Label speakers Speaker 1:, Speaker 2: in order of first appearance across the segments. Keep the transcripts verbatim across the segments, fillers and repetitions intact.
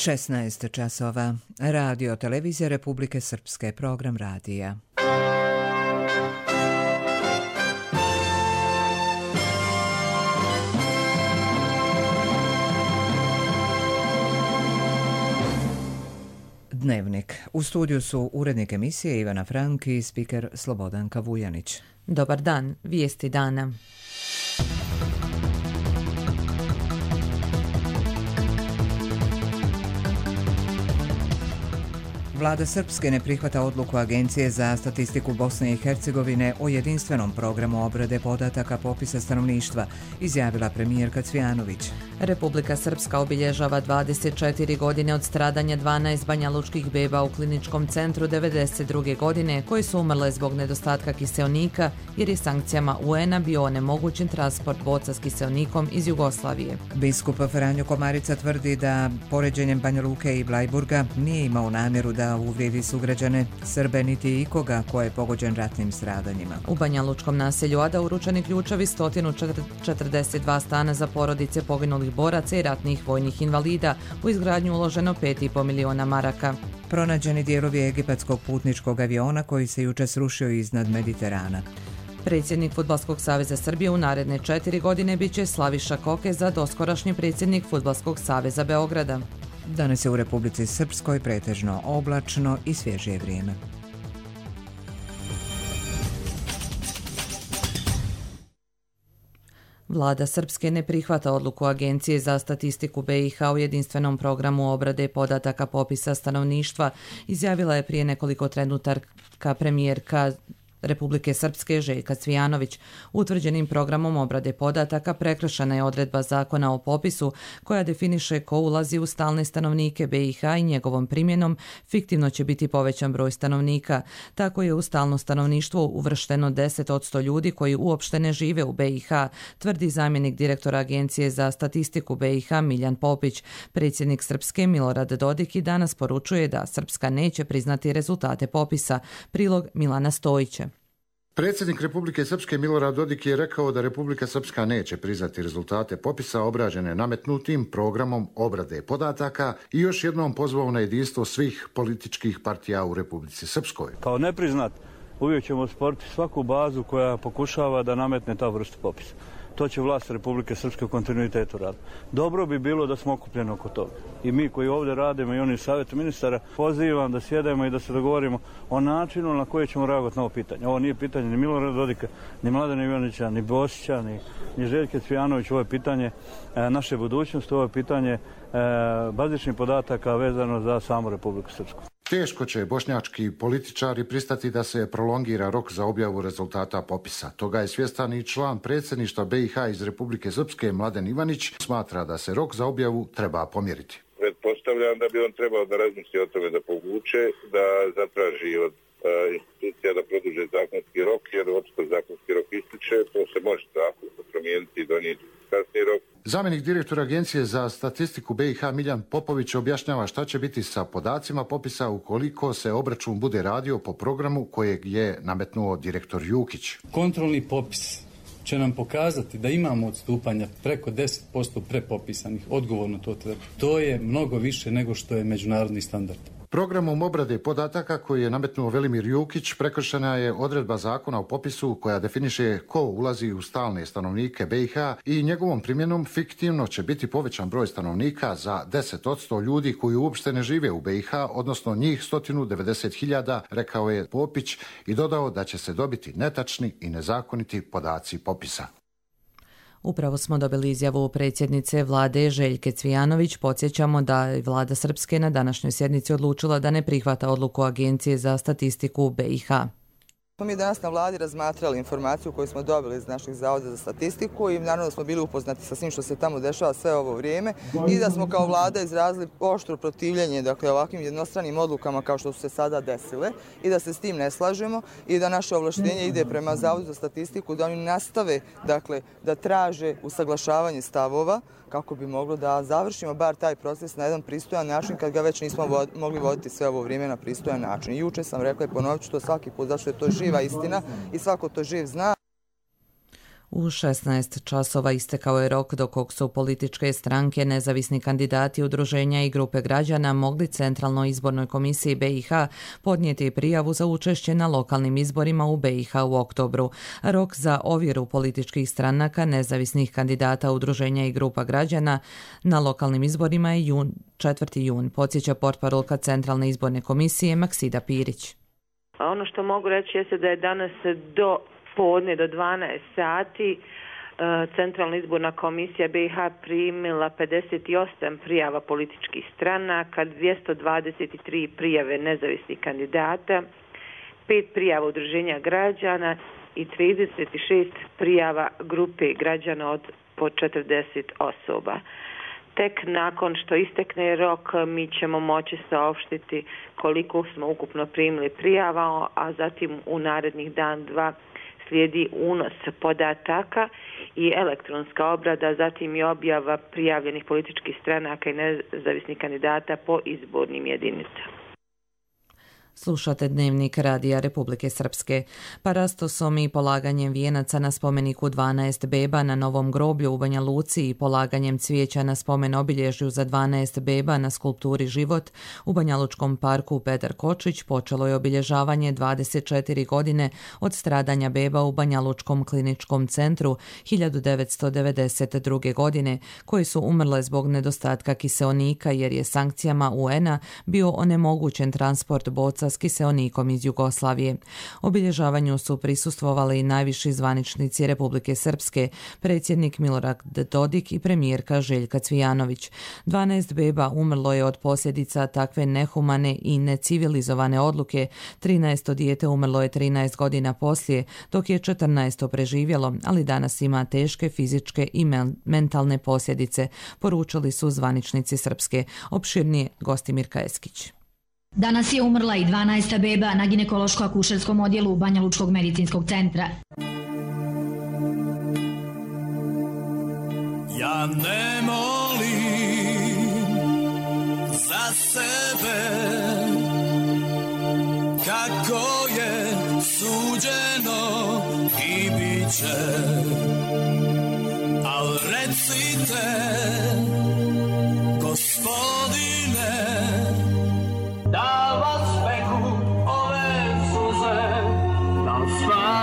Speaker 1: šesnaest časova. Radio televizija Republike Srpske, program radija. Dnevnik. U studiju su urednik emisije Ivana Frank i spiker Slobodanka Vujanić.
Speaker 2: Dobar dan, vijesti dana.
Speaker 1: Vlada Srpske ne prihvata odluku Agencije za statistiku Bosne i Hercegovine o jedinstvenom programu obrade podataka popisa stanovništva, izjavila premijerka Cvijanović.
Speaker 2: Republika Srpska obilježava dvadeset četiri godine od stradanja dvanaest banjalučkih beba u kliničkom centru devedeset druge godine koji su umrle zbog nedostatka kiseonika jer je sankcijama U N-a bio onemogućen transport boca s kiseonikom iz Jugoslavije.
Speaker 1: Biskup Franjo Komarica tvrdi da poređenjem Banja Luke i Blajburga nije imao namjeru da uvrijedi sugrađane, Srbe niti ikoga ko je pogođen ratnim stradanjima.
Speaker 2: U banjalučkom naselju Ada uručeni ključevi sto četrdeset dva stana za porodice poginulih boraca i ratnih vojnih invalida, u izgradnju uloženo pet i po miliona maraka.
Speaker 1: Pronađeni dijelovi egipatskog putničkog aviona koji se juče srušio iznad Mediterana.
Speaker 2: Predsjednik Fudbalskog saveza Srbije u naredne četiri godine biće Slaviša Koke za doskorašnji predsjednik Fudbalskog saveza Beograda.
Speaker 1: Danas je u Republici Srpskoj pretežno oblačno i svježije vrijeme.
Speaker 2: Vlada Srpske ne prihvata odluku Agencije za statistiku B i H u jedinstvenom programu obrade podataka popisa stanovništva, izjavila je prije nekoliko trenutaka premijerka Republike Srpske Željka Cvijanović. Utvrđenim programom obrade podataka prekršena je odredba zakona o popisu koja definiše ko ulazi u stalne stanovnike B i H i njegovom primjenom fiktivno će biti povećan broj stanovnika. Tako je u stalno stanovništvo uvršteno deset posto ljudi koji uopšte ne žive u B i H, tvrdi zamjenik direktora Agencije za statistiku B i H Miljan Popić. Predsjednik Srpske Milorad Dodik i danas poručuje da Srpska neće priznati rezultate popisa. Prilog Milana Stojića.
Speaker 3: Predsjednik Republike Srpske Milorad Dodik je rekao da Republika Srpska neće priznati rezultate popisa obrađene nametnutim programom obrade podataka i još jednom pozvao na jedinstvo svih političkih partija u Republici Srpskoj.
Speaker 4: Kao nepriznat uvijek ćemo sporiti svaku bazu koja pokušava da nametne ta vrsta popisa. To će vlast Republike Srpske u kontinuitetu raditi. Dobro bi bilo da smo okupljeni oko toga. I mi koji ovdje radimo i oni savjet ministara, pozivam da sjedemo i da se dogovorimo o načinu na koji ćemo reagovati na ovo pitanje. Ovo nije pitanje ni Milorada Dodika, ni Mladena Ivanića, ni Bosića, ni, ni Željke Cvijanović. Ovo je pitanje e, naše budućnosti, ovo je pitanje e, bazičnih podataka vezano za samu Republiku Srpsku.
Speaker 3: Teško će bošnjački političari pristati da se prolongira rok za objavu rezultata popisa. Toga je svjestan i član predsjedništva B i H iz Republike Srpske Mladen Ivanić, smatra da se rok za objavu treba pomjeriti.
Speaker 5: Pretpostavljam da bi on trebao da razmisli o tome da povuče, da zatraži od uh, institucija da produže zakonski rok, jer očito zakonski rok ističe, to se može zakon promijeniti i donijeti kasniji rok.
Speaker 3: Zamjenik direktora Agencije za statistiku B i H Miljan Popović objašnjava šta će biti sa podacima popisa ukoliko se obračun bude radio po programu kojeg je nametnuo direktor Jukić.
Speaker 6: Kontrolni popis će nam pokazati da imamo odstupanja preko deset posto prepopisanih, odgovorno to treba. To je mnogo više nego što je međunarodni standard.
Speaker 3: Programom obrade podataka koji je nametnuo Velimir Jukić prekršena je odredba zakona o popisu koja definiše ko ulazi u stalne stanovnike B i H i njegovom primjenom fiktivno će biti povećan broj stanovnika za deset posto ljudi koji uopšte ne žive u B i H, odnosno njih sto devedeset hiljada, rekao je Popić i dodao da će se dobiti netačni i nezakoniti podaci popisa.
Speaker 2: Upravo smo dobili izjavu predsjednice vlade Željke Cvijanović. Podsjećamo da je vlada Srpske na današnjoj sjednici odlučila da ne prihvata odluku Agencije za statistiku B i H.
Speaker 7: Mi danas na vladi razmatrali informaciju koju smo dobili iz naših zavoda za statistiku i naravno da smo bili upoznati sa svim što se tamo dešava sve ovo vrijeme i da smo kao vlada izrazili oštro protivljenje dakle, ovakvim jednostranim odlukama kao što su se sada desile i da se s tim ne slažemo i da naše ovlaštenje ide prema Zavodu za statistiku da oni nastave dakle, da traže usaglašavanje stavova kako bi moglo da završimo bar taj proces na jedan pristojan način kad ga već nismo vod, mogli voditi sve ovo vrijeme na pristojan način. I juče sam rekla i ponovit ću to svaki put zašto je to živa istina i svako to živ zna.
Speaker 2: U šesnaest časova istekao je rok do kog su političke stranke, nezavisni kandidati, udruženja i grupe građana mogli Centralnoj izbornoj komisiji B i H podnijeti prijavu za učešće na lokalnim izborima u B i H u oktobru. Rok za ovjeru političkih stranaka, nezavisnih kandidata, udruženja i grupa građana na lokalnim izborima je jun, četvrti jun, podsjeća portparolka Centralne izborne komisije Maksida Pirić.
Speaker 8: Ono što mogu reći jeste da je danas do podne do dvanaest sati Centralna izborna komisija B i H primila pedeset osam prijava političkih stranaka, dvjesto dvadeset tri prijave nezavisnih kandidata, pet prijava udruženja građana i trideset šest prijava grupe građana od po četrdeset osoba. Tek nakon što istekne rok mi ćemo moći saopštiti koliko smo ukupno primili prijava, a zatim u narednih dan, dva slijedi unos podataka i elektronska obrada, zatim i objava prijavljenih političkih stranaka i nezavisnih kandidata po izbornim jedinicama.
Speaker 2: Slušate Dnevnik Radija Republike Srpske. Parastosom i polaganjem vijenaca na spomeniku dvanaest beba na Novom groblju u Banja Luci i polaganjem cvijeća na spomen obilježju za dvanaest beba na skulpturi Život u Banjalučkom parku Petar Kočić počelo je obilježavanje dvadeset četiri godine od stradanja beba u Banjalučkom kliničkom centru hiljadu devetsto devedeset druge. godine, koji su umrle zbog nedostatka kiseonika jer je sankcijama U N-a bio onemogućen transport boca s kiseonikom iz Jugoslavije. Obilježavanju su prisustvovali i najviši zvaničnici Republike Srpske, predsjednik Milorad Dodik i premijerka Željka Cvijanović. dvanaest beba umrlo je od posljedica takve nehumane i necivilizovane odluke, trinaesto dijete umrlo je trinaest godina poslije, dok je četrnaesto preživjelo, ali danas ima teške fizičke i mentalne posljedice, poručili su zvaničnici Srpske. Opširnije Gostimirka Eskić.
Speaker 9: Danas je umrla i dvanaesta beba na ginekološko-akušerskom odjelu Banjalučkog medicinskog centra.
Speaker 10: Ja ne molim za sebe kako je suđeno i bit će, al recite, Gospodine, da vas peku ove suze, da spavate.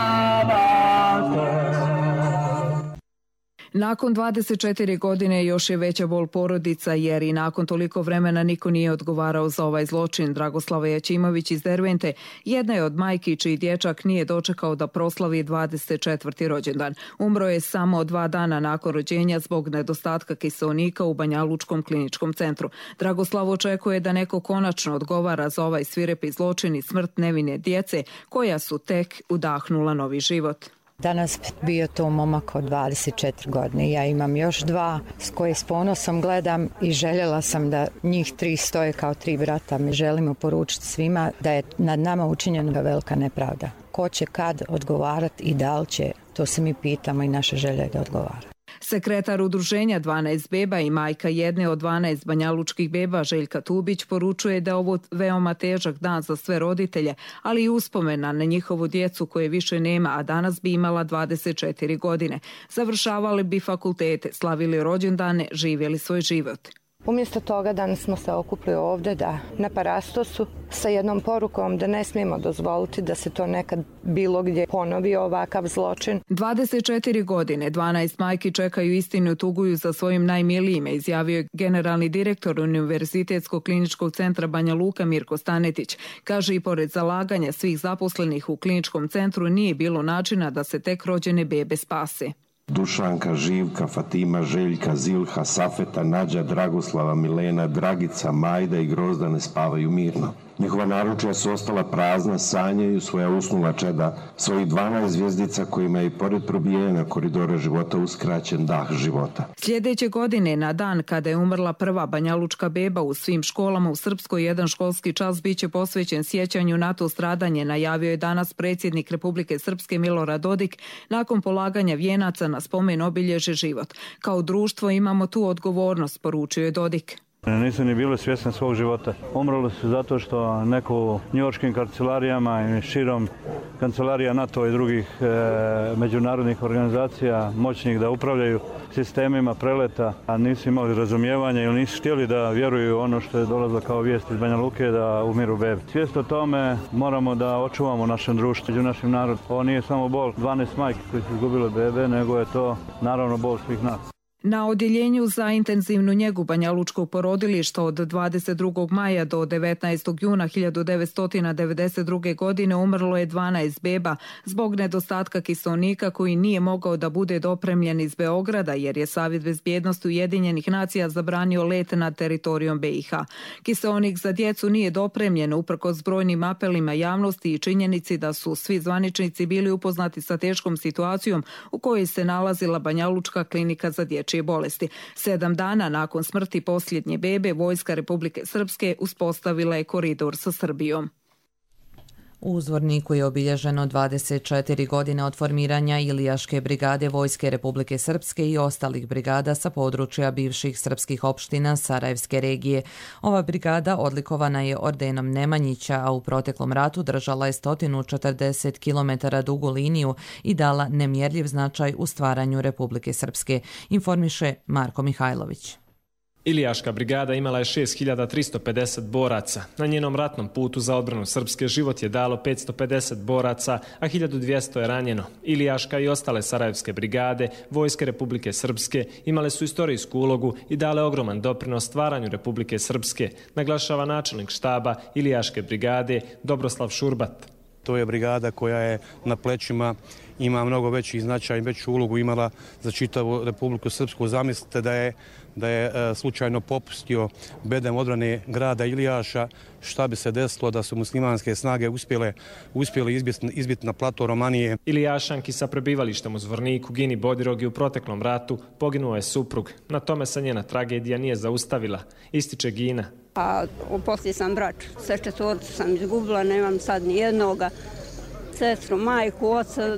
Speaker 11: Nakon dvadeset četiri godine još je veća bol porodica jer i nakon toliko vremena niko nije odgovarao za ovaj zločin. Dragoslava Jaćimović iz Dervente jedna je od majki čiji dječak nije dočekao da proslavi dvadeset četvrti rođendan. Umro je samo dva dana nakon rođenja zbog nedostatka kiseonika u Banjalučkom kliničkom centru. Dragoslav očekuje da neko konačno odgovara za ovaj svirepi zločin i smrt nevine djece koja su tek udahnula novi život.
Speaker 12: Danas bio to momak od dvadeset četiri godine. Ja imam još dva s koje s ponosom gledam i željela sam da njih tri stoje kao tri brata. Mi želimo poručiti svima da je nad nama učinjena velika nepravda. Ko će kad odgovarati i da li će, to se mi pitamo i naša želja je da odgovara.
Speaker 11: Sekretar udruženja dvanaest beba i majka jedne od dvanaest banjalučkih beba Željka Tubić poručuje da je ovo veoma težak dan za sve roditelje, ali i uspomena na njihovu djecu koje više nema, a danas bi imala dvadeset četiri godine. Završavali bi fakultete, slavili rođendane, živjeli svoj život.
Speaker 13: Umjesto toga danas smo se okupili ovdje da na Parastosu sa jednom porukom da ne smijemo dozvoliti da se to nekad bilo gdje ponovi ovakav zločin.
Speaker 11: dvadeset četiri godine, dvanaest majki čekaju istinu, tuguju za svojim najmilijime, izjavio je generalni direktor Univerzitetskog kliničkog centra Banja Luka Mirko Stanetić. Kaže i pored zalaganja svih zaposlenih u kliničkom centru nije bilo načina da se tek rođene bebe spase.
Speaker 14: Dušanka, Živka, Fatima, Željka, Zilha, Safeta, Nađa, Dragoslava, Milena, Dragica, Majda i Grozdane spavaju mirno. Njihova naručja su ostala prazna, sanjaju svoja usnula čeda, svojih dvanaest zvjezdica kojima je i pored probijanja koridora života uskraćen dah života.
Speaker 11: Sljedeće godine, na dan kada je umrla prva banjalučka beba, u svim školama u Srpskoj jedan školski čas biće posvećen sjećanju na to stradanje, najavio je danas predsjednik Republike Srpske Milorad Dodik nakon polaganja vijenaca na spomen obilježe Život. Kao društvo imamo tu odgovornost, poručio je Dodik.
Speaker 4: Nisu ni bili svjesni svog života. Umrli su zato što neko u njujorškim kancelarijama i širom kancelarija NATO i drugih e, međunarodnih organizacija moćnih da upravljaju sistemima preleta, a nisu imali razumijevanja ili nisu htjeli da vjeruju ono što je dolazilo kao vijest iz Banja Luke da umiru bebe. Svijest o tome moramo da očuvamo našem društvu, među našim narodom. Ovo nije samo bol dvanaest majki koji su izgubile bebe, nego je to naravno bol svih nas.
Speaker 11: Na odjeljenju za intenzivnu njegu banjalučkog porodilišta od dvadeset drugog maja do devetnaestog juna hiljadu devetsto devedeset druge. godine umrlo je dvanaest beba zbog nedostatka kiseonika koji nije mogao da bude dopremljen iz Beograda jer je Savjet bezbjednosti Ujedinjenih nacija zabranio let nad teritorijom B i H. Kiseonik za djecu nije dopremljen uprkos brojnim apelima javnosti i činjenici da su svi zvaničnici bili upoznati sa teškom situacijom u kojoj se nalazila Banjalučka klinika za dječje bolesti. Sedam dana nakon smrti posljednje bebe, Vojska Republike Srpske uspostavila je koridor sa Srbijom.
Speaker 2: U Zvorniku je obilježeno dvadeset četiri godine od formiranja Ilijaške brigade Vojske Republike Srpske i ostalih brigada sa područja bivših srpskih opština Sarajevske regije. Ova brigada odlikovana je ordenom Nemanjića, a u proteklom ratu držala je sto četrdeset kilometara dugu liniju i dala nemjerljiv značaj u stvaranju Republike Srpske, informiše Marko Mihajlović.
Speaker 15: Ilijaška brigada imala je šest hiljada tristo pedeset boraca. Na njenom ratnom putu za odbranu Srpske život je dalo petsto pedeset boraca, a hiljadu dvjesto je ranjeno. Ilijaška i ostale Sarajevske brigade Vojske Republike Srpske imale su istorijsku ulogu i dale ogroman doprinos stvaranju Republike Srpske, naglašava načelnik štaba Ilijaške brigade Dobroslav Šurbat.
Speaker 16: To je brigada koja je na plećima ima mnogo veći značaj, veću ulogu imala za čitavu Republiku Srpsku. Zamislite da je da je e, slučajno popustio bedem odbrane grada Ilijaša, šta bi se desilo da su muslimanske snage uspjele, uspjeli izbiti, izbiti na plato Romanije.
Speaker 15: Ilijašanki sa prebivalištem u Zvorniku, Gini Bodirogi u proteklom ratu poginuo je suprug. Na tome se njena tragedija nije zaustavila, ističe Gina.
Speaker 17: A poslije sam brač, sve četvorcu sam izgubila, nemam sad ni jednoga, sestru, majku, oca,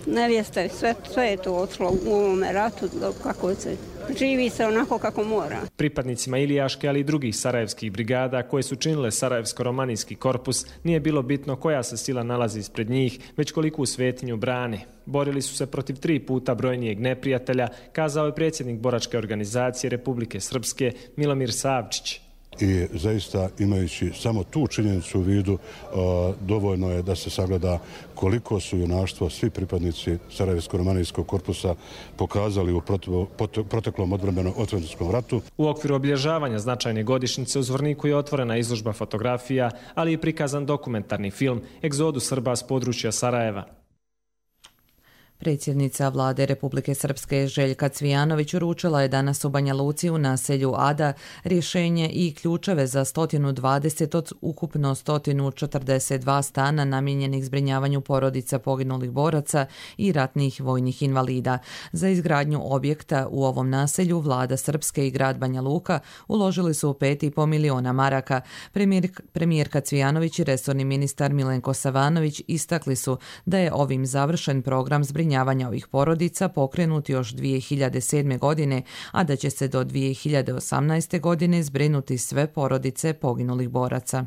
Speaker 17: nevjeste, sve, sve je to otišlo u ovome ratu, kako se živi se onako kako mora.
Speaker 15: Pripadnicima Ilijaške, ali i drugih sarajevskih brigada koje su činile Sarajevsko-romanijski korpus, nije bilo bitno koja se sila nalazi ispred njih, već koliku svetinju brane. Borili su se protiv tri puta brojnijeg neprijatelja, kazao je predsjednik boračke organizacije Republike Srpske Milomir Savčić.
Speaker 18: I zaista imajući samo tu činjenicu u vidu, dovoljno je da se sagleda koliko su junaštvo svi pripadnici Sarajevsko-romanijskog korpusa pokazali u proteklom odbrambenom ratu.
Speaker 15: U okviru obilježavanja značajne godišnjice u Zvorniku je otvorena izložba fotografija, ali i prikazan dokumentarni film Egzodus Srba s područja Sarajeva.
Speaker 2: Predsjednica vlade Republike Srpske Željka Cvijanović uručila je danas u Banja Luci u naselju Ada rješenje i ključeve za sto dvadeset od ukupno sto četrdeset dva stana namijenjenih zbrinjavanju porodica poginulih boraca i ratnih vojnih invalida. Za izgradnju objekta u ovom naselju vlada Srpske i grad Banja Luka uložili su pet i pol miliona maraka. Premijer, premijerka Cvijanović i resorni ministar Milenko Savanović istakli su da je ovim završen program zbrinjavanja ovih porodica pokrenut još dvije hiljade sedme. godine, a da će se do dvije hiljade osamnaeste. godine zbrinuti sve porodice poginulih boraca.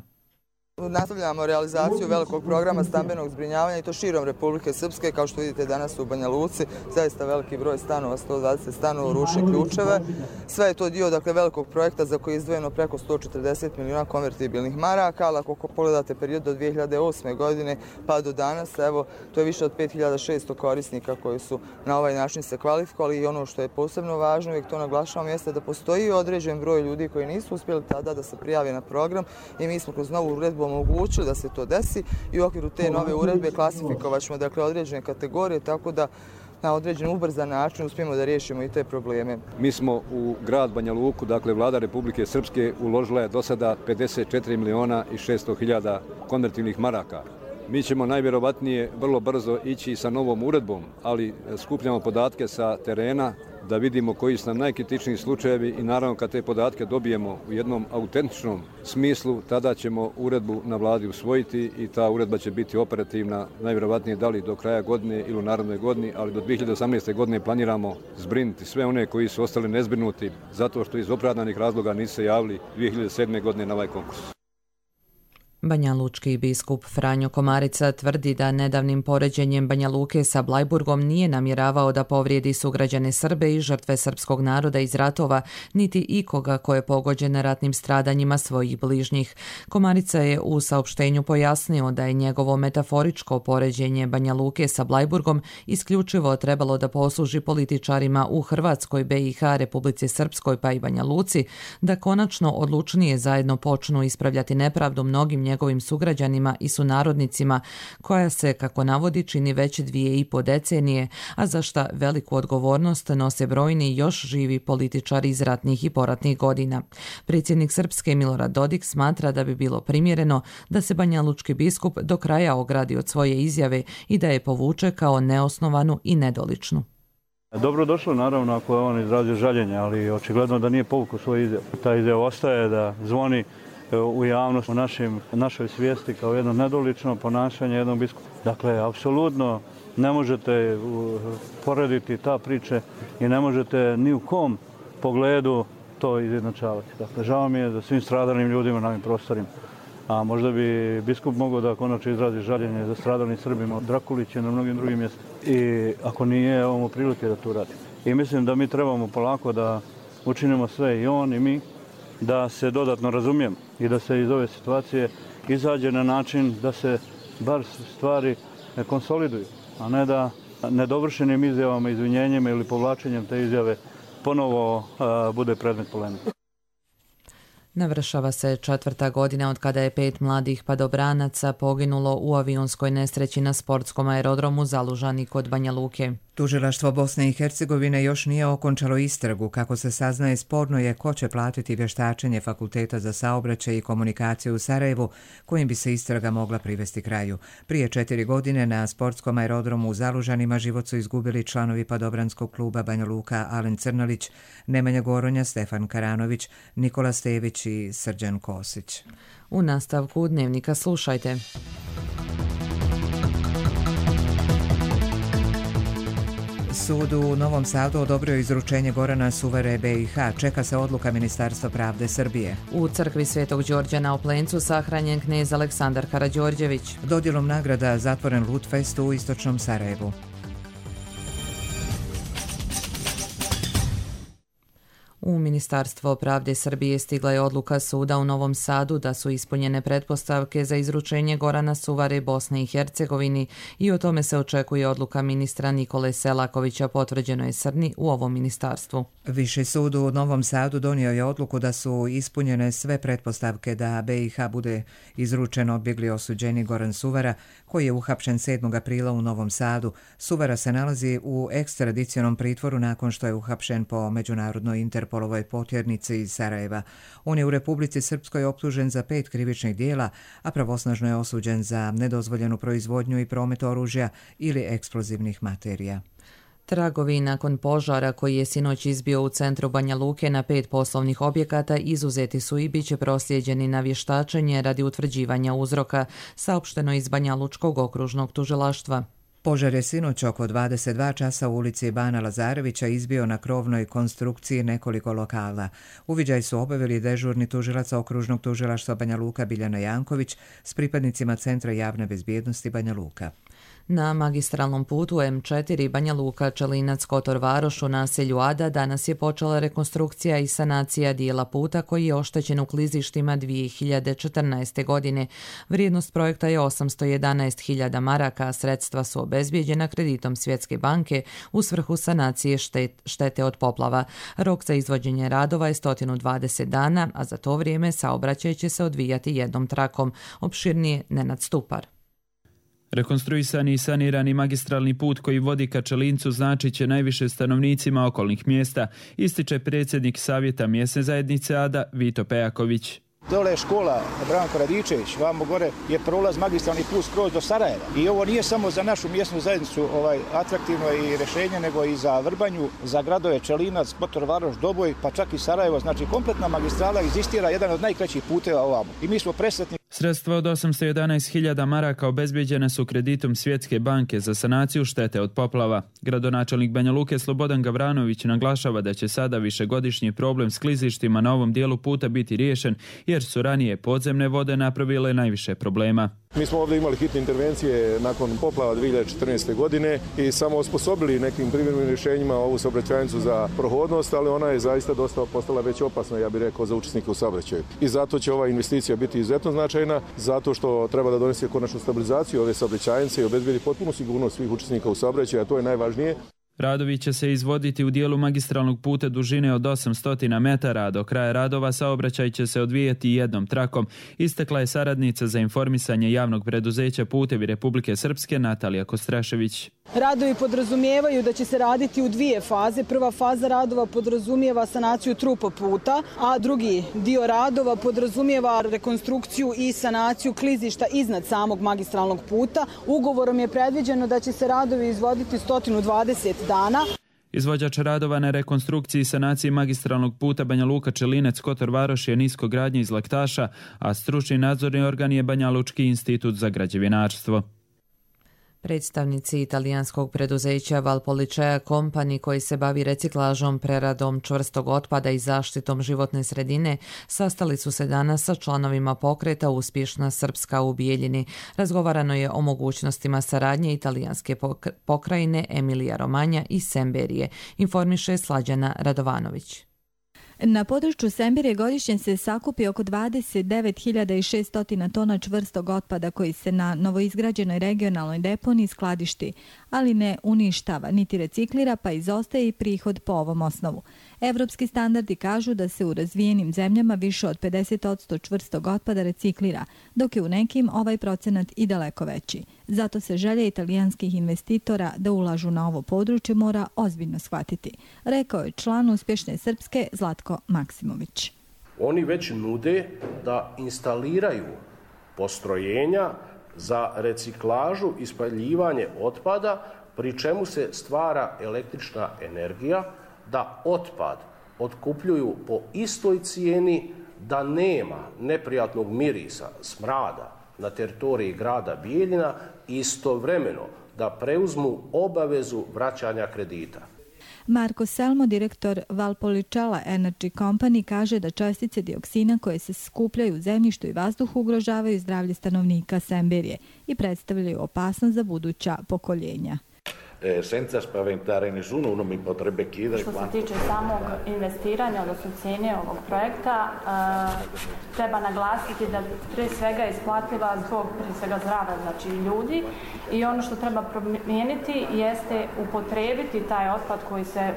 Speaker 7: Nastavljamo realizaciju velikog programa stambenog zbrinjavanja i to širom Republike Srpske. Kao što vidite danas u Banja Luci, zaista veliki broj stanova, sto dvadeset stanova u Ruši ključeve. Sve je to dio dakle, velikog projekta za koji je izdvojeno preko sto četrdeset miliona konvertibilnih maraka, ali ako pogledate period do dvije hiljade osme. godine pa do danas, evo, to je više od pet hiljada šesto korisnika koji su na ovaj način se kvalifikovali i ono što je posebno važno, uvijek to naglašavam, jeste da postoji određen broj ljudi koji nisu uspjeli tada da se prijave na program i mi smo kroz novu uredbu omogućili da se to desi i u okviru te nove uredbe klasifikovat ćemo dakle, određene kategorije tako da na određen ubrzan način uspijemo da riješimo i te probleme.
Speaker 19: Mi smo u grad Banja Luku, dakle vlada Republike Srpske uložila je do sada pedeset četiri miliona i šesto hiljada konvertivnih maraka. Mi ćemo najvjerovatnije vrlo brzo ići sa novom uredbom, ali skupljamo podatke sa terena da vidimo koji su nam najkritičniji slučajevi i naravno kad te podatke dobijemo u jednom autentičnom smislu, tada ćemo uredbu na vladi usvojiti i ta uredba će biti operativna najvjerovatnije da li do kraja godine ili u narednoj godini, ali do dvije hiljade osamnaeste. godine planiramo zbrinuti sve one koji su ostali nezbrinuti zato što iz opravdanih razloga nisu se javili dvije hiljade sedme. godine na ovaj konkurs.
Speaker 2: Banjalučki biskup Franjo Komarica tvrdi da nedavnim poređenjem Banja Luke sa Blajburgom nije namjeravao da povrijedi sugrađane Srbe i žrtve srpskog naroda iz ratova, niti ikoga ko je pogođen ratnim stradanjima svojih bližnjih. Komarica je u saopštenju pojasnio da je njegovo metaforičko poređenje Banja Luke sa Blajburgom isključivo trebalo da posluži političarima u Hrvatskoj, B i H, Republici Srpskoj pa i Banja Luci, da konačno odlučnije zajedno počnu ispravljati nepravdu mnogim njegovim sugrađanima i sunarodnicima, koja se, kako navodi, čini već dvije i po decenije, a za šta veliku odgovornost nose brojni još živi političari iz ratnih i poratnih godina. Predsjednik Srpske Milorad Dodik smatra da bi bilo primjereno da se banjalučki biskup do kraja ogradi od svoje izjave i da je povuče kao neosnovanu i nedoličnu.
Speaker 4: Dobro došlo, naravno, ako je on izrazio žaljenje, ali očigledno da nije povukao svoju izjavu. Ta izjava ostaje da zvoni u javnost, u našim, našoj svijesti kao jedno nedolično ponašanje jednog biskupa. Dakle, apsolutno ne možete porediti ta priče i ne možete ni u kom pogledu to izjednačavati. Dakle, žao mi je za svim stradalim ljudima na ovim prostorima. A možda bi biskup mogao da konačno izrazi žaljenje za stradalim Srbima od Drakulića na mnogim drugim mjestima. I ako nije, ovo prilike da to radi. I mislim da mi trebamo polako da učinimo sve, i on i mi, da se dodatno razumijemo i da se iz ove situacije izađe na način da se bar stvari konsoliduju, a ne da nedovršenim izjavama, izvinjenjima ili povlačenjem te izjave ponovo a, bude predmet polemike.
Speaker 2: Navršava se četvrta godina od kada je pet mladih padobranaca poginulo u avionskoj nesreći na sportskom aerodromu Zalužani kod Banja Luke.
Speaker 1: Tužilaštvo Bosne i Hercegovine još nije okončalo istragu. Kako se saznaje, sporno je ko će platiti vještačenje Fakulteta za saobraćaj i komunikaciju u Sarajevu, kojim bi se istraga mogla privesti kraju. Prije četiri godine na sportskom aerodromu u Zalužanima život su izgubili članovi padobranskog kluba Banja Luka Alen Crnalić, Nemanja Goronja, Stefan Karanović, Nikola Stević i Srđan Kosić.
Speaker 2: U nastavku Dnevnika slušajte.
Speaker 1: Sud u Novom Sadu odobrio izručenje Gorana Suvare B i H. Čeka se odluka Ministarstva pravde Srbije.
Speaker 2: U crkvi Svetog Đorđa na Oplencu sahranjen knez Aleksandar Karađorđević.
Speaker 1: Dodjelom nagrada zatvoren Lutfest u istočnom Sarajevu.
Speaker 2: U Ministarstvo pravde Srbije stigla je odluka suda u Novom Sadu da su ispunjene pretpostavke za izručenje Gorana Suvare Bosne i Hercegovini i o tome se očekuje odluka ministra Nikole Selakovića, potvrđeno je Srni u ovom ministarstvu.
Speaker 1: Viši sud u Novom Sadu donio je odluku da su ispunjene sve pretpostavke da B i H bude izručen odbjegli osuđeni Goran Suvara, koji je uhapšen sedmog aprila u Novom Sadu. Suvara se nalazi u ekstradicionom pritvoru nakon što je uhapšen po međunarodnoj Interpolovoj potjernici iz Sarajeva. On je u Republici Srpskoj optužen za pet krivičnih dijela, a pravosnažno je osuđen za nedozvoljenu proizvodnju i promet oružja ili eksplozivnih materija.
Speaker 2: Tragovi nakon požara koji je sinoć izbio u centru Banja Luke na pet poslovnih objekata izuzeti su i bit će proslijeđeni na vještačenje radi utvrđivanja uzroka, saopšteno iz Banjalučkog okružnog tužilaštva.
Speaker 1: Požar je sinoć oko dvadeset dva časa u ulici Bana Lazarevića izbio na krovnoj konstrukciji nekoliko lokala. Uviđaj su obavili dežurni tužilac okružnog tužilaštva Banja Luka Biljana Janković s pripadnicima Centra javne bezbjednosti Banja Luka.
Speaker 2: Na magistralnom putu M četiri Banja Luka Čelinac Kotor Varoš u naselju Ada danas je počela rekonstrukcija i sanacija dijela puta koji je oštećen u klizištima dvije hiljade četrnaeste. godine. Vrijednost projekta je osamsto jedanaest hiljada maraka, a sredstva su obezbijeđena kreditom Svjetske banke u svrhu sanacije štet, štete od poplava. Rok za izvođenje radova je sto dvadeset dana, a za to vrijeme saobraćaj će se odvijati jednom trakom. Opširnije Nenad Stupar.
Speaker 20: Rekonstruisani i sanirani magistralni put koji vodi ka Čelincu značit će najviše stanovnicima okolnih mjesta, ističe predsjednik Savjeta mjesne zajednice Ada Vito Pejaković.
Speaker 21: Dole je škola Branko Radičević, vamo gore je prolaz magistralni put skroz do Sarajeva. I ovo nije samo za našu mjesnu zajednicu ovaj, atraktivno i rješenje, nego i za Vrbanju, za gradove Čelinac, Kotor Varoš, Doboj, pa čak i Sarajevo. Znači kompletna magistrala egzistira, jedan od najkraćih puteva ovamo. I mi smo presretni.
Speaker 20: Sredstva od osamsto jedanaest hiljada maraka obezbijeđene su kreditom Svjetske banke za sanaciju štete od poplava. Gradonačelnik Banja Luke Slobodan Gavranović naglašava da će sada višegodišnji problem s klizištima na ovom dijelu puta biti riješen, jer su ranije podzemne vode napravile najviše problema.
Speaker 22: Mi smo ovdje imali hitne intervencije nakon poplava dvije hiljade četrnaeste. godine i samo osposobili nekim privremenim rješenjima ovu saobraćajnicu za prohodnost, ali ona je zaista dosta postala već opasna, ja bih rekao, za učesnike u saobraćaju. I zato će ova investicija biti izuzetno značajna, zato što treba da donese konačnu stabilizaciju ove saobraćajnice i obezbedi potpunu sigurnost svih učesnika u saobraćaju, a to je najvažnije.
Speaker 20: Radovi će se izvoditi u dijelu magistralnog puta dužine od osamsto metara, a do kraja radova saobraćaj će se odvijati jednom trakom, istakla je saradnica za informisanje javnog preduzeća Putevi Republike Srpske Natalija Kostrašević.
Speaker 23: Radovi podrazumijevaju da će se raditi u dvije faze. Prva faza radova podrazumijeva sanaciju trupa puta, a drugi dio radova podrazumijeva rekonstrukciju i sanaciju klizišta iznad samog magistralnog puta. Ugovorom je predviđeno da će se radovi izvoditi sto dvadeset dana.
Speaker 20: Izvođač radova na rekonstrukciji i sanaciji magistralnog puta Banja Luka Čelinec Kotor Varoš je niskogradnja iz Laktaša, a stručni nadzorni organ je Banja Lučki institut za građevinarstvo.
Speaker 2: Predstavnici italijanskog preduzeća Valpolicea Company, koji se bavi reciklažom, preradom čvrstog otpada i zaštitom životne sredine, sastali su se danas sa članovima pokreta Uspješna Srpska u Bijeljini. Razgovarano je o mogućnostima saradnje italijanske pokrajine Emilija Romanja i Semberije, informiše Slađana Radovanović.
Speaker 24: Na području Semberije godišnje se sakupi oko dvadeset devet hiljada šesto tona čvrstog otpada koji se na novoizgrađenoj regionalnoj deponiji skladišti, ali ne uništava niti reciklira, pa izostaje i prihod po ovom osnovu. Evropski standardi kažu da se u razvijenim zemljama više od pedeset posto čvrstog otpada reciklira, dok je u nekim ovaj procenat i daleko veći. Zato se želje italijanskih investitora da ulažu na ovo područje mora ozbiljno shvatiti, rekao je član Uspješne Srpske Zlatko Maksimović.
Speaker 25: Oni već nude da instaliraju postrojenja za reciklažu i spaljivanje otpada, pri čemu se stvara električna energija, da otpad otkupljuju po istoj cijeni, da nema neprijatnog mirisa, smrada na teritoriji grada Bijeljina, istovremeno da preuzmu obavezu vraćanja kredita.
Speaker 24: Marko Selmo, direktor Valpolicella Energy Company, kaže da čestice dioksina koje se skupljaju u zemljištu i vazduhu ugrožavaju zdravlje stanovnika Semberije i predstavljaju opasnost za buduća pokoljenja.
Speaker 26: Senza spaventare nessuno, uno mi potrebbe chiedere
Speaker 27: Što se tiče samog investiranja, odnosno cijene ovog projekta, treba naglasiti da prije svega isplativa zbog prije svega zdravlja, znači ljudi, i ono što treba promijeniti jeste upotrijebiti taj otpad koji se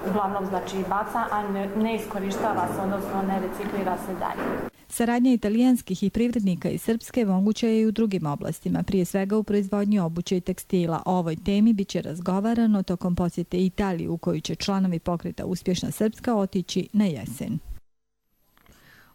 Speaker 27: uglavnom znači baca, a ne, ne iskorištava se, odnosno ne reciklira se dalje.
Speaker 24: Saradnja italijanskih i privrednika iz Srpske moguća je i u drugim oblastima, prije svega u proizvodnji obuće i tekstila. O ovoj temi biće razgovarano tokom posjete Italiji, u koju će članovi pokreta Uspješna Srpska otići na jesen.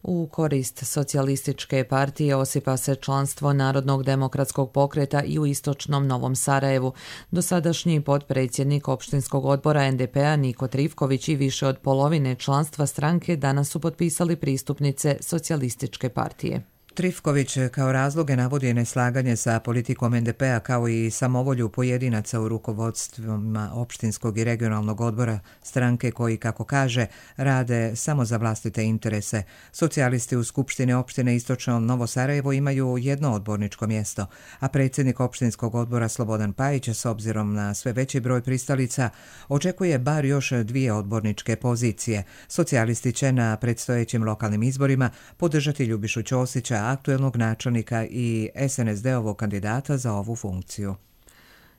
Speaker 2: U korist socijalističke partije osipa se članstvo Narodnog demokratskog pokreta i u istočnom Novom Sarajevu. Dosadašnji potpredsjednik opštinskog odbora en de pe a Niko Trivković i više od polovine članstva stranke danas su potpisali pristupnice socijalističke partije.
Speaker 1: Trifković kao razloge navodi neslaganje sa politikom en de pe a kao i samovolju pojedinaca u rukovodstvima opštinskog i regionalnog odbora stranke koji, kako kaže, rade samo za vlastite interese. Socijalisti u Skupštini opštine Istočno Novo Sarajevo imaju jedno odborničko mjesto, a predsjednik opštinskog odbora Slobodan Pajić, s obzirom na sve veći broj pristalica, očekuje bar još dvije odborničke pozicije. Socijalisti će na predstojećim lokalnim izborima podržati Ljubišu Ćosića, aktuelnog načelnika i es en es de-ovog kandidata za ovu funkciju.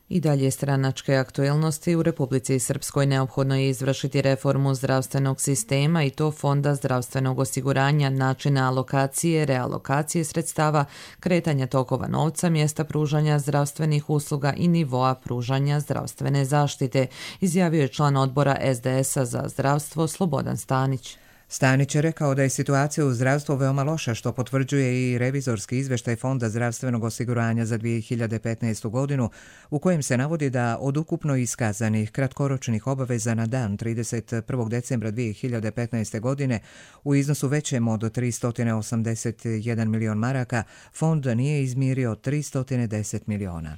Speaker 2: I dalje stranačke aktuelnosti. U Republici Srpskoj neophodno je izvršiti reformu zdravstvenog sistema i to Fonda zdravstvenog osiguranja, načina alokacije, realokacije sredstava, kretanja tokova novca, mjesta pružanja zdravstvenih usluga i nivoa pružanja zdravstvene zaštite, izjavio je član odbora es de es a za zdravstvo Slobodan Stanić.
Speaker 1: Stanić je rekao da je situacija u zdravstvu veoma loša, što potvrđuje i revizorski izveštaj Fonda zdravstvenog osiguranja za dvije hiljade petnaestu godinu, u kojem se navodi da od ukupno iskazanih kratkoročnih obaveza na dan trideset prvog decembra dvije hiljade petnaeste. godine u iznosu većem od tristo osamdeset jedan milion maraka, fond nije izmirio tristo deset miliona.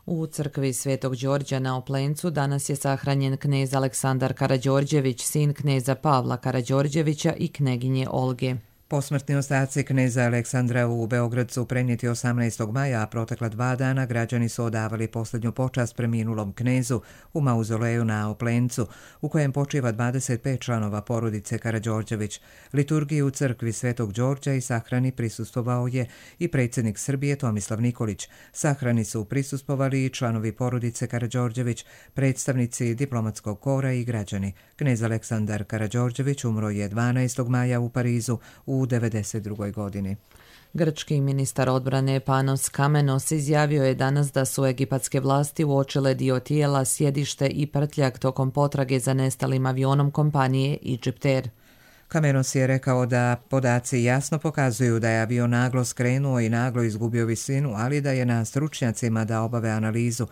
Speaker 2: U crkvi Svetog Đorđa na Oplencu danas je sahranjen knez Aleksandar Karađorđević, sin kneza Pavla Karađorđevića i kneginje Olge.
Speaker 1: Posmrtni ostaci kneza Aleksandra u Beograd su prenijeti osamnaestog maja, a protekla dva dana građani su odavali posljednju počast preminulom knezu u mauzoleju na Oplencu, u kojem počiva dvadeset pet članova porodice Karađorđević. Liturgiji u crkvi Svetog Đorđa i sahrani prisustvovao je i predsjednik Srbije Tomislav Nikolić. Sahrani su prisustvovali i članovi porodice Karađorđević, predstavnici diplomatskog kora i građani. Knez Aleksandar Karađorđević umro je dvanaestog maja u Parizu u devedeset drugoj. godini.
Speaker 2: Grčki ministar odbrane Panos Kamenos izjavio je danas da su egipatske vlasti uočile dio tijela, sjedište i prtljak tokom potrage za nestalim avionom kompanije Egyptair.
Speaker 1: Kamenos je rekao da podaci jasno pokazuju da je avion naglo skrenuo i naglo izgubio visinu, ali da je na stručnjacima da obave analizu.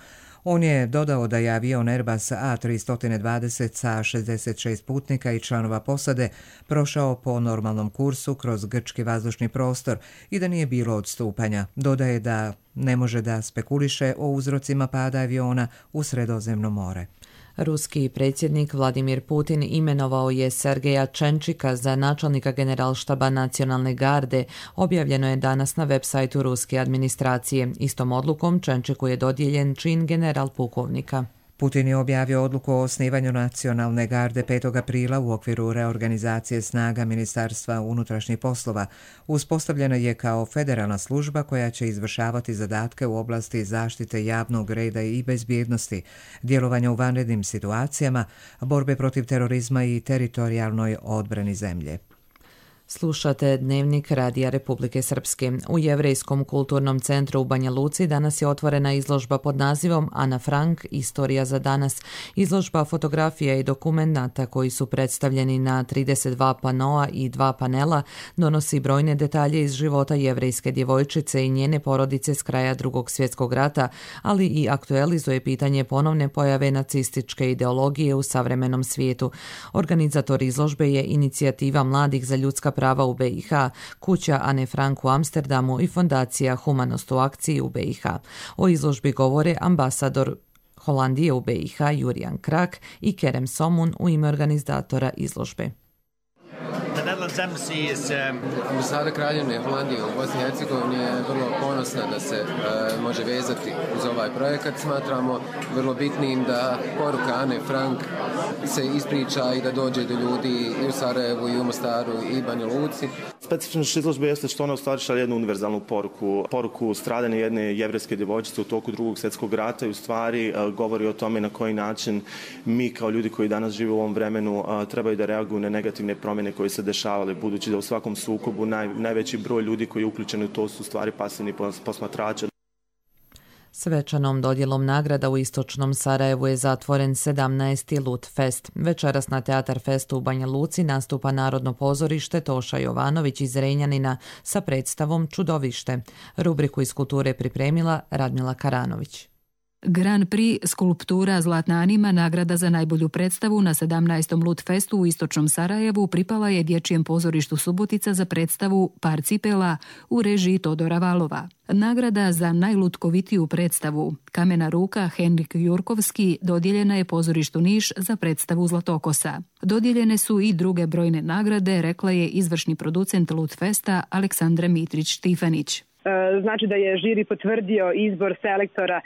Speaker 1: On je dodao da je avion Airbus A tristo dvadeset sa šezdeset šest putnika i članova posade prošao po normalnom kursu kroz grčki vazdušni prostor i da nije bilo odstupanja. Dodaje da ne može da spekuliše o uzrocima pada aviona u Sredozemno more.
Speaker 2: Ruski predsjednik Vladimir Putin imenovao je Sergeja Čenčika za načelnika generalštaba nacionalne garde. Objavljeno je danas na web sajtu ruske administracije. Istom odlukom Čenčiku je dodijeljen čin general pukovnika.
Speaker 1: Putin je objavio odluku o osnivanju nacionalne garde petog aprila u okviru reorganizacije snaga Ministarstva unutrašnjih poslova. Uspostavljena je kao federalna služba koja će izvršavati zadatke u oblasti zaštite javnog reda i bezbjednosti, djelovanja u vanrednim situacijama, borbe protiv terorizma i teritorijalnoj odbrani zemlje.
Speaker 2: Slušate Dnevnik Radija Republike Srpske. U Jevrejskom kulturnom centru u Banja Luci danas je otvorena izložba pod nazivom Ana Frank – Istorija za danas. Izložba fotografija i dokumenata koji su predstavljeni na trideset dva panoa i dva panela donosi brojne detalje iz života jevrejske djevojčice i njene porodice s kraja Drugog svjetskog rata, ali i aktualizuje pitanje ponovne pojave nacističke ideologije u savremenom svijetu. Organizator izložbe je Inicijativa mladih za ljudska prava u be i ha, kuća Ane Frank u Amsterdamu i fondacija Humanost u akciji u be i ha. O izložbi govore ambasador Holandije u be i ha Jurijan Krak i Kerem Somun u ime organizatora izložbe.
Speaker 3: Ambasada Kraljevine Holandije u Bosni i Hercegovini je vrlo ponosna da se uh, može vezati uz ovaj projekat. Smatramo vrlo bitnim da poruka Ane Frank se ispriča i da dođe do ljudi i u Sarajevu i u Mostaru i Banja Luci.
Speaker 5: Specifičnost izložbe jeste što ona u stvari šalje jednu univerzalnu poruku. Poruku stradanja jedne jevrejske djevojčice u toku Drugog svjetskog rata i u stvari uh, govori o tome na koji način mi kao ljudi koji danas žive u ovom vremenu uh, trebaju da reaguju na negativne promjene koje se dešavale, budući da u svakom sukobu naj, najveći broj ljudi koji je uključen u to su stvari pasivni posmatrači.
Speaker 2: Svečanom dodjelom nagrada u istočnom Sarajevu je zatvoren sedamnaesti Lut Fest. Večeras na Teatar Festu u Banja Luci nastupa Narodno pozorište Toša Jovanović iz Renjanina sa predstavom Čudovište. Rubriku iz kulture pripremila Radmila Karanović.
Speaker 6: Grand Prix skulptura Zlatna Anima, nagrada za najbolju predstavu na sedamnaestom Lut Festu u istočnom Sarajevu, pripala je Dječjem pozorištu Subotica za predstavu Par cipela u režiji Todora Valova. Nagrada za najlutkovitiju predstavu Kamena ruka Henrik Jurkovski dodijeljena je pozorištu Niš za predstavu Zlatokosa. Dodijeljene su i druge brojne nagrade, rekla je izvršni producent Lut Festa Aleksandra Mitrić-Štifanić.
Speaker 8: Znači da je žiri potvrdio izbor selektora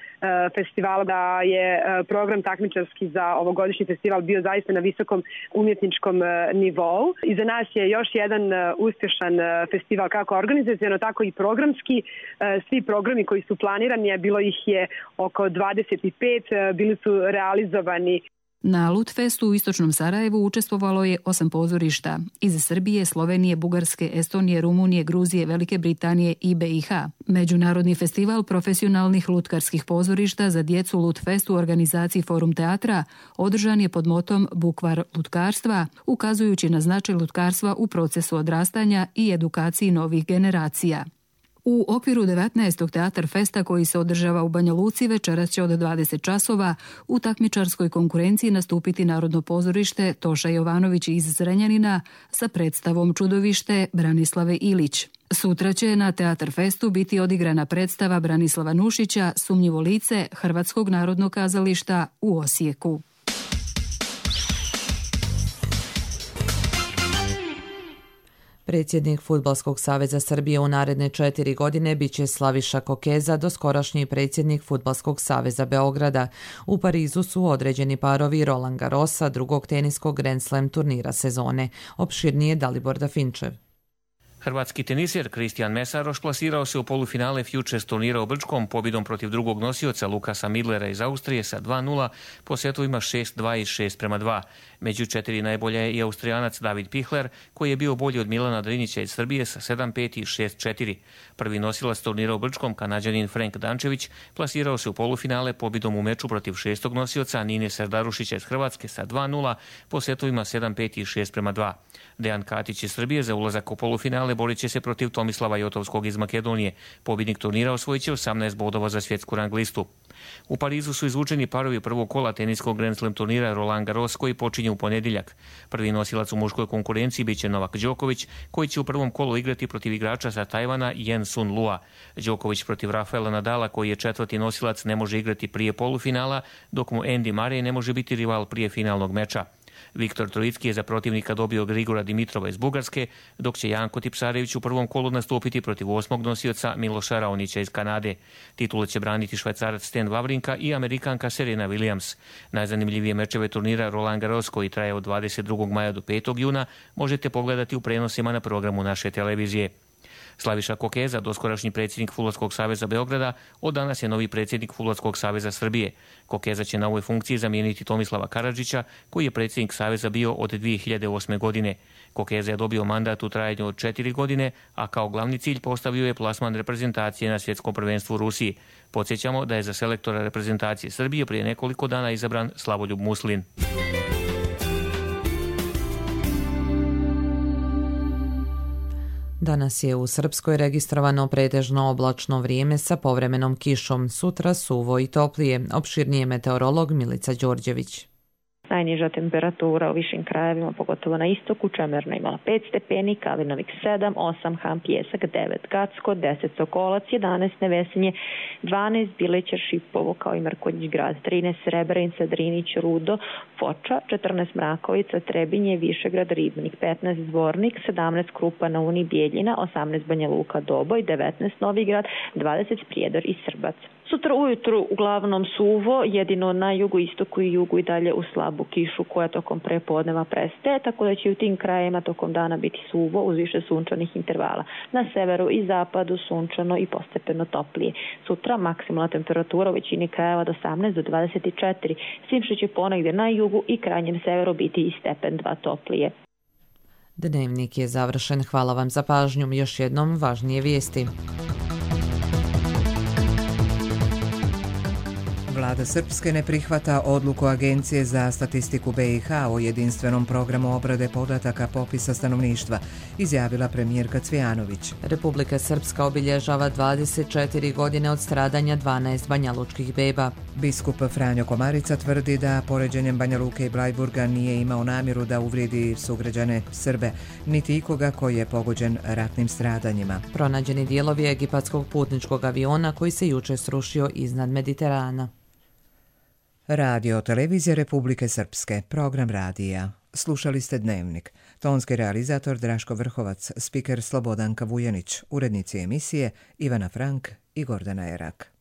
Speaker 8: festivala, da je program takmičarski za ovogodišnji festival bio zaista na visokom umjetničkom nivou. I za nas je još jedan uspješan festival kako organizacijono, tako i programski. Svi programi koji su planirani, bilo ih je oko dvadeset pet, bili su realizovani.
Speaker 6: Na Lutfestu u istočnom Sarajevu učestvovalo je osam pozorišta iz Srbije, Slovenije, Bugarske, Estonije, Rumunije, Gruzije, Velike Britanije i B i H. Međunarodni festival profesionalnih lutkarskih pozorišta za djecu Lutfest u organizaciji Forum teatra održan je pod motom Bukvar lutkarstva, ukazujući na značaj lutkarstva u procesu odrastanja i edukaciji novih generacija. U okviru devetnaestog Teatar Festa koji se održava u Banja Luci večeras će od dvadeset časova u takmičarskoj konkurenciji nastupiti Narodno pozorište Toša Jovanović iz Zrenjanina sa predstavom Čudovište Branislave Ilić. Sutra će na Teatar Festu biti odigrana predstava Branislava Nušića Sumnjivo lice Hrvatskog narodnog kazališta u Osijeku.
Speaker 2: Predsjednik Fudbalskog saveza Srbije u naredne četiri godine biće Slaviša Kokeza, doskorašnji predsjednik Fudbalskog saveza Beograda. U Parizu su određeni parovi Roland Garrosa, drugog teniskog Grand Slam turnira sezone. Opširnije Dalibor Dafinčev.
Speaker 9: Hrvatski teniser Kristijan Mesaroš plasirao se u polufinale Futures turnira u Brčkom pobjedom protiv drugog nosioca Lukasa Midlera iz Austrije sa dva nula po setovima šest dva i šest prema dva. Među četiri najbolje je i Austrijanac David Pichler, koji je bio bolji od Milana Drinića iz Srbije sa sedam pet i šest četiri. Prvi nosilac turnira u Brčkom, Kanađanin Frank Dančević, plasirao se u polufinale pobjedom u meču protiv šestog nosioca Nine Serdarušića iz Hrvatske sa dva nula po setovima sedam pet i šest prema dva. Dejan Katić iz Srbije za ulazak u polufinale borit će se protiv Tomislava Jotovskog iz Makedonije. Pobjednik turnira osvojit će osamnaest bodova za svjetsku rang listu. U Parizu su izvučeni parovi prvog kola teniskog Grand Slam turnira Roland Garros koji počinje u ponedjeljak. Prvi nosilac u muškoj konkurenciji biće Novak Đoković, koji će u prvom kolu igrati protiv igrača sa Tajvana Yen Sun Lua. Đoković protiv Rafaela Nadala, koji je četvrti nosilac, ne može igrati prije polufinala, dok mu Andy Murray ne može biti rival prije finalnog meča. Viktor Trojicki je za protivnika dobio Grigora Dimitrova iz Bugarske, dok će Janko Tipsarević u prvom kolu nastupiti protiv osmog nosioca Miloša Raonića iz Kanade. Titulu će braniti Švajcarac Stan Wawrinka i Amerikanka Serena Williams. Najzanimljivije mečeve turnira Roland Garros, koji traje od dvadeset drugog maja do petog juna, možete pogledati u prenosima na programu naše televizije. Slaviša Kokeza, doskorašnji predsjednik Fudbalskog saveza Beograda, od danas je novi predsjednik Fudbalskog saveza Srbije. Kokeza će na ovoj funkciji zamijeniti Tomislava Karadžića, koji je predsjednik saveza bio od dvije hiljade osme. godine. Kokeza je dobio mandat u trajanju od četiri godine, a kao glavni cilj postavio je plasman reprezentacije na svjetskom prvenstvu u Rusiji. Podsjećamo da je za selektora reprezentacije Srbije prije nekoliko dana izabran Slavoljub Muslin.
Speaker 2: Danas je u Srpskoj registrovano pretežno oblačno vrijeme sa povremenom kišom, sutra suvo i toplije. Opširnije meteorolog Milica Đorđević.
Speaker 10: Najniža temperatura u višim krajevima, pogotovo na istoku, Čemerna imala pet stepeni, Kalinovik sedam, osam, Ham Pjesak devet, Gacko deset, Sokolac jedanaest, Nevesinje dvanaest, Bilećer, Šipovo kao i Mrkonjić grad trinaest, Srebrenica, Drinić, Rudo, Foča četrnaest, Mrakovica, Trebinje, Višegrad, Ribnik petnaest, Zvornik sedamnaest, Krupa na Uni, Bijeljina osamnaest, Banja Luka, Doboj devetnaest, Novigrad dvadeset, Prijedor i Srbac. Sutra ujutru uglavnom suvo, jedino na jugu, istoku i jugu i dalje u slabu kišu koja tokom prepodneva prestaje, tako da će u tim krajevima tokom dana biti suvo uz više sunčanih intervala. Na severu i zapadu sunčano i postepeno toplije. Sutra maksimalna temperatura u većini krajeva od osamnaest do dvadeset četiri, s tim što će ponegdje na jugu i krajnjem severu biti i stepen dva toplije.
Speaker 2: Dnevnik je završen. Hvala vam za pažnju. Još jednom važnije vijesti.
Speaker 1: Vlada Srpske ne prihvata odluku Agencije za statistiku B i H o jedinstvenom programu obrade podataka popisa stanovništva, izjavila premijerka Cvijanović.
Speaker 2: Republika Srpska obilježava dvadeset četiri godine od stradanja dvanaest banjalučkih beba.
Speaker 1: Biskup Franjo Komarica tvrdi da poređenjem Banja Luke i Blajburga nije imao namjeru da uvrijedi sugrađane Srbe, niti ikoga koji je pogođen ratnim stradanjima.
Speaker 2: Pronađeni dijelovi egipatskog putničkog aviona koji se juče srušio iznad Mediterana.
Speaker 1: Radio televizija Republike Srpske, program radija. Slušali ste Dnevnik. Tonski realizator Draško Vrhovac, spiker Slobodanka Vujanić, urednici emisije Ivana Frank i Gordana Erak.